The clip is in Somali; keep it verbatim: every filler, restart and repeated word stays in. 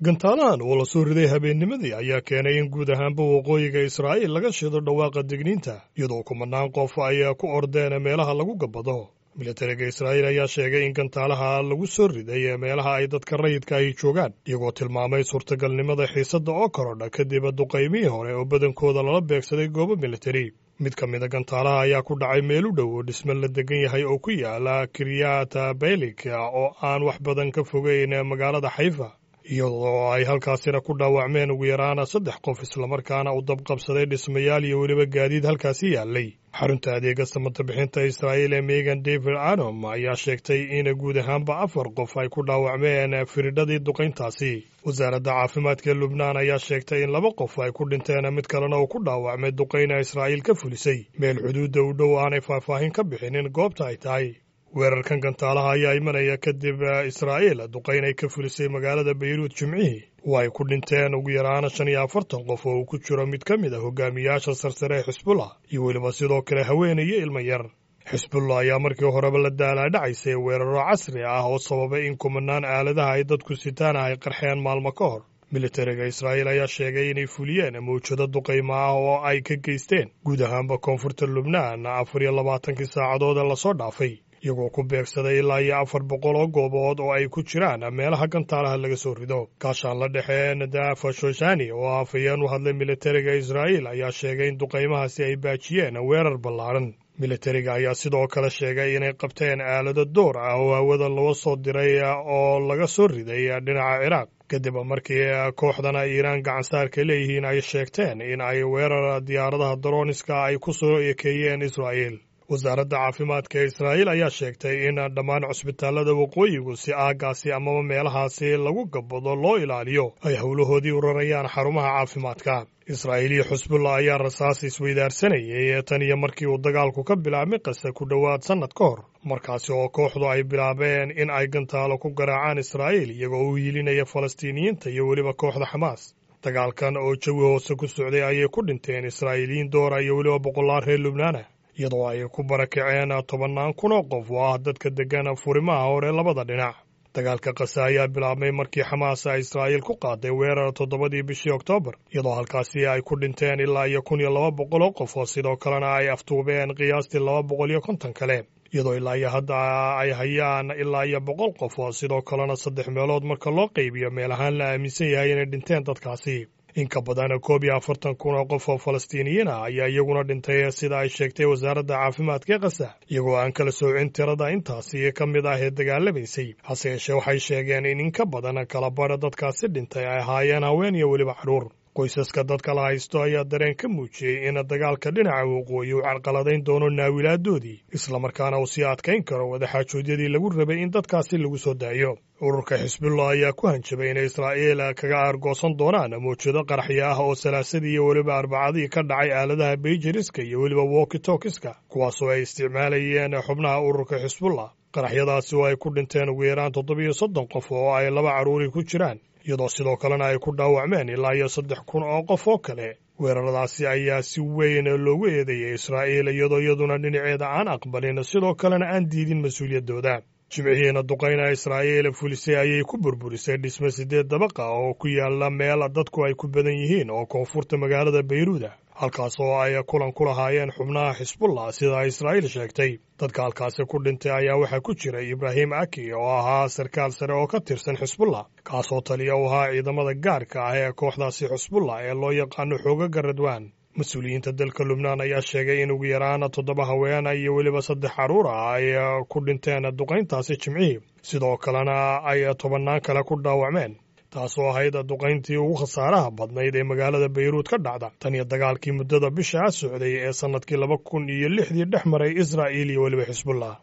Gantaalahan oo la soo riday habeennimadii ayaa keenay in guud ahaanba waqooyiga Israa'iil laga shido dhawaaqa digniinta, iyadoo kumanaan qof ay ku ordeen meelaha lagu gabbado. Militariga Israa'iil ayaa sheegay in gantaalaha lagu soo riday meelaha ay dadka rayidka ahi joogaan, iyagoo tilmaamay suurtagalnimada xiisadda oo korodha kadib duqaymihii hore oo badankooda lala beegsaday goobo militari. Mid ka mida gantaalaha ayaa ku dhacay meel u dhow oo dhisme la degan yahay oo ku yaala Kiryat Baylik oo aan wax badan ka fogeyn magaalada Xayfa, iyadoo ay halkaasina ku dhaawacmeen ugu yaraana saddex qof, islamarkaana uu dabqabsaday dhismayaal iyo weliba gaadiid halkaasi yaallay. Xarunta adeega samata bixinta Israa'iil ee Megan David Anom ayaa sheegtay in guud ahaanba afar qof ay ku dhaawacmeen firidhadii duqayntaasi. Wasaaradda caafimaadka Lubnaan ayaa sheegtay in laba qof ay ku dhinteen, mid kalena uu ku dhaawacmay duqayna Israa'iil ka fulisay meel xuduudda u dhow aanay faahfaahin ka bixinin goobta ay tahay. Weerarkan gantaalaha ayaa imanaya kadib Israa'iil duqayn ay ka fulisay magaalada Bayruud Jimcihii oo ay ku dhinteen ugu yaraana shan iyo afartan qof oo uu ku jiro mid ka mid a hogaamiyaasha sarsare ee Xisbullah iyo weliba sidoo kale haweeney iyo ilmo yar. Xisbullah ayaa markii horeba la daalaadhacaysay weeraro casri ah oo sababay in kumanaan aaladaha ay dadku sitaan ay qarxeen maalmo ka hor. Militariga Israa'iil ayaa sheegay inay fuliyeen mawjado duqaymo ah oo ay ka geysteen guud ahaanba koonfurta Lubnaan afar iyo labaatankii saacadood ee lasoo dhaafay, iyagoo ku beegsaday ilaa iyo afar boqol oo goobood oo ay ku jiraan meelaha gantaalaha laga soo rido. Gaashaan la dhexe Nadafa Shoshani oo afhayeen u hadlay militariga Israa'iil ayaa sheegay in duqaymahaasi ay baajiyeen weerar ballaaran. Militariga ayaa sidoo kale sheegay inay qabteen aalado door ah oo hawada loo soo diray oo laga soo riday dhinaca Ciraaq, kadib markii kooxdana Iiraan gacansaarka leeyihiin ay sheegteen in ay weerar diyaaradaha darooniska ay ku soo ekeeyeen Israa'iil. Wasaaradda caafimaadka ee Israa'iil ayaa sheegtay in dhammaan cusbitaallada waqooyigu si aaggaasi amaba meelahaasi lagu gabbado loo ilaaliyo ay howlahoodii u rarayaan xarumaha caafimaadka. Israa'iil iyo Xusbullah ayaa rasaas isweydaarsanayay tan iyo markii uu dagaalku ka bilaabmay Qasa ku dhowaad sannad ka hor, markaasi oo kooxdu ay bilaabeen in ay gantaalo ku garaacaan Israa'iil iyagoo u hiilinaya Falastiiniyiinta iyo weliba kooxda Xamaas. Dagaalkan oo jawi hoose ku socday ayay ku dhinteen Israa'iiliyiin doora iyo weliba boqolaal reer Lubnaana, iyadoo ay ku barakaceen tobannaan kun oo qof oo ah dadka deggan furimaha hore labada dhinac. Dagaalka Qasa ayaa bilaabmay markii Xamaas ay Israa'iil ku qaaday weerar toddobadii bishii Oktoobar, iyadoo halkaasi ay ku dhinteen ilaa iyo kun iyo laba boqol oo qof oo sidoo kalena ay aftuubeen qiyaastii laba boqol iyo konton kale, iyadoo ilaa iyo hadda ay hayaan ilaa iyo boqol qof oo sidoo kalena saddex meelood marka loo qaybiyo meel ahaan la aaminsan yahay inay dhinteen dadkaasi. In ka badan koob iyo afartan kun oo qof oo Falastiiniyiin ah ayaa iyaguna dhintay, sida ay sheegtay wasaaradda caafimaadka ee Qasa, iyagoo aan kala soocin tirada intaasi ka mid ah ee dagaalamaysay. Hase yeeshee waxay sheegeen in in ka badan kala badha dadkaasi dhintay ay ahaayeen haween iyo weliba carruur. Qoysaska dadka la haysto ayaa dareen ka muujiyey in dagaalka dhinaca waqooyi uu carqaladayn doono naawilaaddoodii, islamarkaana uu sii adkayn karo wadaxaajoodyadii lagu rabay in dadkaasi lagu soo daayo. Ururka Xisbullah ayaa ku hanjabay inay Israa'iil kaga aargoosan doonaan mawjado qaraxyo ah oo salaasadii iyo weliba arbacadii ka dhacay aaladaha beijeriska iyo weliba walkitokiska, kuwaasoo ay isticmaalayeen xubnaha ururka Xisbullah. Qaraxyadaasi oo ay ku dhinteen ugu yaraan toddobiyo soddon qof oo ay laba carruuri ku jiraan, iyadoo sidoo kalena ay ku dhaawacmeen ilaa iyo saddex kun oo qof oo kale. Weeraradaasi ayaa si weyn loogu eedeeyey Israa'iil, iyadoo iyaduna dhinaceeda aan aqbalin sidoo kalena aan diidin mas-uuliyaddooda. Jimcihiina duqayna Israa'iil fulisay ayay ku burburisay dhisme siddeed dabaqa oo ku yaala meel dadku ay ku badan yihiin oo koonfurta magaalada Bayruuda, halkaas oo ay kulan ku lahaayeen xubnaha Xisbullah, sida Israa'iil sheegtay. Dadka halkaasi ku dhintay ayaa waxaa ku jiray Ibraahim Aki oo ahaa sarkaal sare oo ka tirsan Xisbullah, kaasoo taliya u ahaa ciidamada gaarka ah ee kooxdaasi Xisbullah ee loo yaqaano xoogaga Radwaan. Mas-uuliyiinta dalka Lubnaan ayaa sheegay in ugu yaraan toddoba haweena iyo weliba saddex carruur ah ay ku dhinteen duqayntaasi Jimcihii, sidoo kalena ay tobannaan kale ku dhaawacmeen, taasoo ahayd duqayntii ugu khasaaraha badnayd ee magaalada Bayruud ka dhacda tan iyo dagaalkii muddada bishaa socday ee sannadkii laba kun iyo lixdii dhex maray Israa'iil iyo weliba Xisbullah.